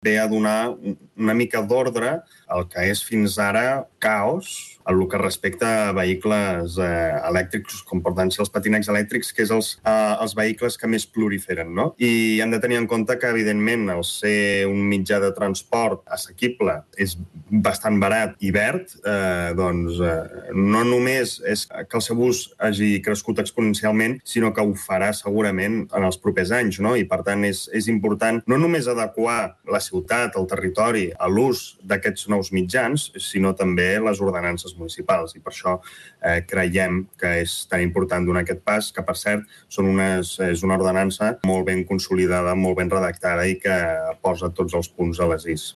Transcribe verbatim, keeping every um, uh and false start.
ve a donar una mica d'ordre al que és fins ara caos en el que respecta a vehicles eh, elèctrics, com poden ser els patinets elèctrics, que és els, eh, els vehicles que més proliferen, no? I hem de tenir en compte que, evidentment, el ser un mitjà de transport assequible és bastant barat i verd, eh, doncs eh, no només és que el seu ús hagi crescut exponencialment, sinó que ho farà segurament en els propers anys, no? I, per tant, és, és important no només adequar la ciutat, el territori, a l'ús d'aquests nous mitjans, sinó també les ordenances municipals. I per això eh, creiem que és tan important donar aquest pas, que, per cert, són unes, és una ordenança molt ben consolidada, molt ben redactada i que posa tots els punts a les is.